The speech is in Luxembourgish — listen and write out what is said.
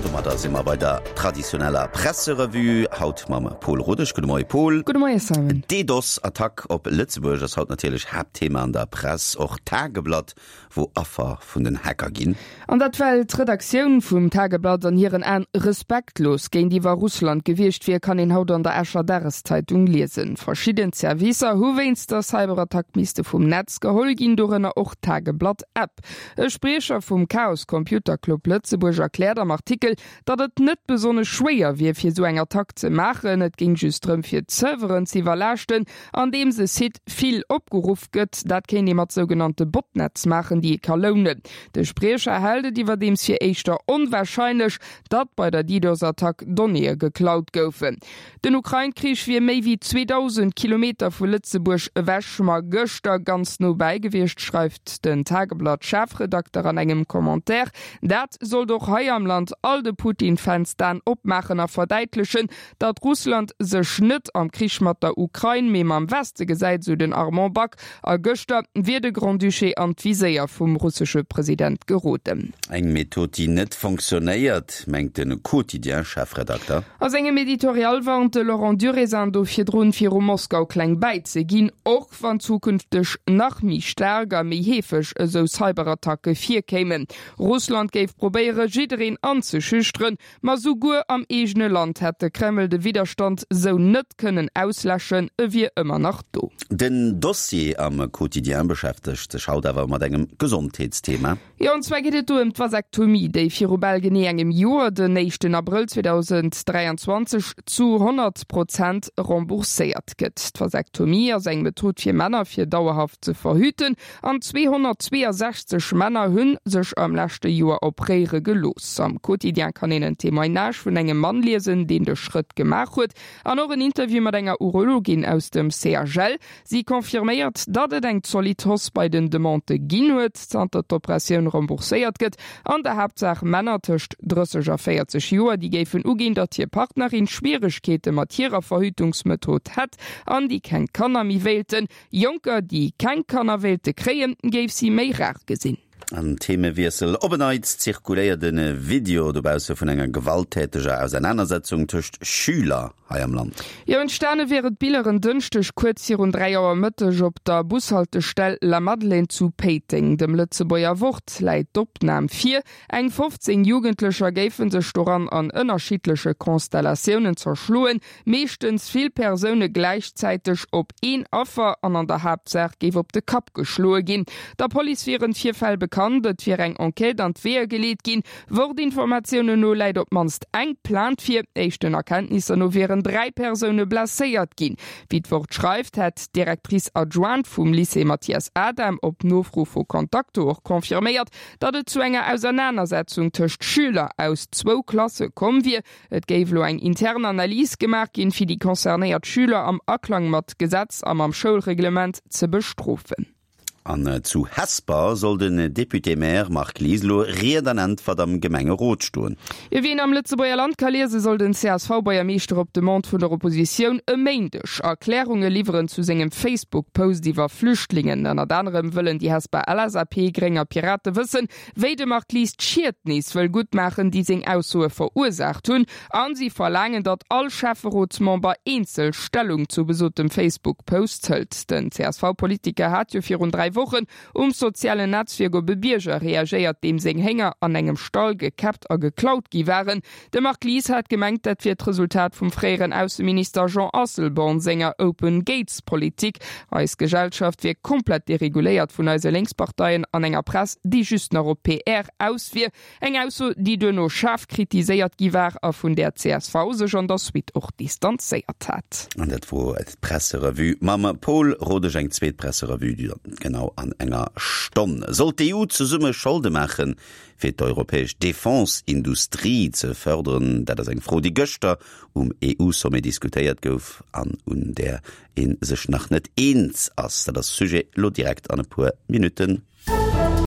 An domadder si mer bei der traditioneller Presserevue, haut mam Pol Rodesch. Gudde Moie Pol. Gudde Moie Simon. D'DDoS-Attack op Lëtzebuerg ass haut natierlech Haaptthema an der Press. Och d'Tageblatt wor Affer vun den Hacker ginn. An dat well d'Redaktioun vum Tageblatt an hiren Aen respektlos géintiwwer Russland gewiescht wier, kann een haut an der Escher Dageszeitung liesen. Verschidden Servicer hu wéinst der Cyberattack misste vum Netz geholl ginn, dorënner och d'Tageblatt-App. E Spriecher vum Chaos Computer Club Lëtzebuerg erkläert am Artikel, datt et net besonnesch schwéier wier fir esou eng Attack ze maachen. Et géing just drëm fir d'Serveren ze iwwerlaaschten, andeems e Site vill opgeruff gëtt. Dat kéint ee mat sougenannte Botnetz maachen, déi ee ka lounen. De Spriecher hält et iwwerdeems fir éischter onwarscheinlech, datt bei der DDoS-Attack Donnéeë geklaut goufen. Den Ukrain-Krich wier méi wéi 2.000 Kilometer vu Lëtzebuerg ewech, ma gëschter ganz no bäi gewiescht, schreift den Tageblatt-Chefredakter an engem Commentaire. Dat sollt och hei am Land all de Putin-Fans d'Aen opmaachen a verdäitlechen, datt Russland sech net am Krich mat der Ukrain, mee mam Weste gesäit, sou den Armand Back. A gëschter wier de Grand-Duché an d'Viséier vum russesche President geroden. Eng Method, déi net fonctionnéiert, mengt de Quotidien-Chefredakter. A sengem Editorial warnt de Laurent Durézin do virdrun, viru Moskau kleng bäi ze ginn, och wann zukünfteg nach méi staark a méi heefeg esou Cyberattacke virkéimen. Russland géif probéiere jiddereen anzeschüchteren, Ma souguer am eegene Land hätt de Kreml de Widderstand sou net kënnen ausläschen, e wier ëmmer nach do. Den Dossier am Quotidien beschäftegt sech haut awer mat engem Gesondheetsthema. Jo, an zwar geet et do ëm d'Vasektomie, déi viru bal genee engem Joer, den éischten Abrëll 2023, zu 100 Prozent rembourséiert gëtt. D'Vasektomie ass eng Method fir Männer, fir dauerhaft ze verhüten. An 262 Männer hu sech am leschte Joer opréiere gelooss. Am Quotidien kann een en Témoignage vun engem Mann liesen, deen de Schrëtt gemaach huet. An och en Interview mat enger Urologin aus dem CHL. Si confirméiert, datt et eng zolidd Hausse bei den Demandë ginn huet, zanter d'Operatioun rembourséiert gëtt. An der Haaptsaach Männer tëscht 30 a 40 Joer, déi géifen uginn, datt hir Partnerin Schwieregkeete mat hirer Verhütungsmethod hätt an déi keng Kanner méi wéilten. Jonker, déi keng Kanner wéilte kréien, géif si méi rar gesinn. An Themewiessel, Op en Neits zirkuléiert e Video dobausse vun enger gewalttäteger Ausernanersetzung tëscht Schüler hei am Land. Jo, entstane wiere d'Biller en Dënschdeg kuerz virun 3 Auer Mëtteg op der Bushaltestell Lamadelaine zu Péiteng. Dem Lëtzebuerger Wort läit d'Opnam vir. Eng 15 Jugendlecher géife sech doran an ënnerschiddleche Konstellatiounen zerschloen. Meeschtens vill Persoune gläichzäiteg op een Affer an an der Haaptsaach géif op de Kapp geschloe ginn. Der Police wieren d'Virfäll bekannt, et wier eng Enquête an d'Weeër geleet ginn. Wort-Informatiounen no läit op d'mannst eng Plainte vir. Éischten Erkenntnisser no wieren 3 Persoune blesséiert ginn. Wéi d'Wort schreift, hätt d'Directrice adjointe vum Lycée Mathias Adam op Nofro vu Contacto och confirméiert, datt et zu enger Ausernanersetzung tëscht Schüler aus zwou Klasse komm wier. Et géif elo eng intern Analys gemaach ginn, fir déi concernéiert Schüler am Aklang mat Gesetz a mam Schoulreglement ze bestrofen. An zu Hesper soll den Député-Maire Marc Lies elo Ried an Äntwert am Gemengerot stoen. Wéi een am Lëtzebuerger Land ka liesen, soll den CSV-Buergermeeschter op Demande vun der Oppositioun e Méindeg Erklärunge liwweren zu sengem Facebook-Post iwwer Flüchtlingen. Ënnert anerem wëllen déi Hesper LSAP, Gréng a Pirate wëssen, Wéi de Marc Lies d'Schied nees wëll guttmaachen, déi seng Aussoe verursaacht hunn. A si verlaangen, datt all Schäfferotsmember eenzel Stellung zu besotem Facebook-Post hëlt. Den CSV-Politiker hat jo virun 3 Wochen um sozialen Netzwierk op e Bierger reagéiert, deem seng Hénger an engem Stall gekäppt a geklaut gi waren. De Marc Lies hat gemengt, dat wier d'Resultat vum fréieren Ausseminister Jean Asselborn senger Open Gates Politik. Eis Gesellschaft wier komplett dereguléiert vun eise Lénksparteien an enger Press, déi just nach op PR aus wier. Eng Ausso, déi duerno schaarf kritiséiert gi war a vun där csv sech an der Suite och distanzéiert hat. An dat wor d'Presserevue mam Paul Rodesch. Eng zweet Presserevue dann genau an enger Stonn. Soll d'EU zesumme Scholde maachen, fir d'europäesch Defense-Industrie ze fërderen? Dat ass eng Fro, déi gëschter um EU-Sommet diskutéiert gouf an un där ee sech nach net eens ass. Dat ass Sujet elo direkt an e puer Minutten.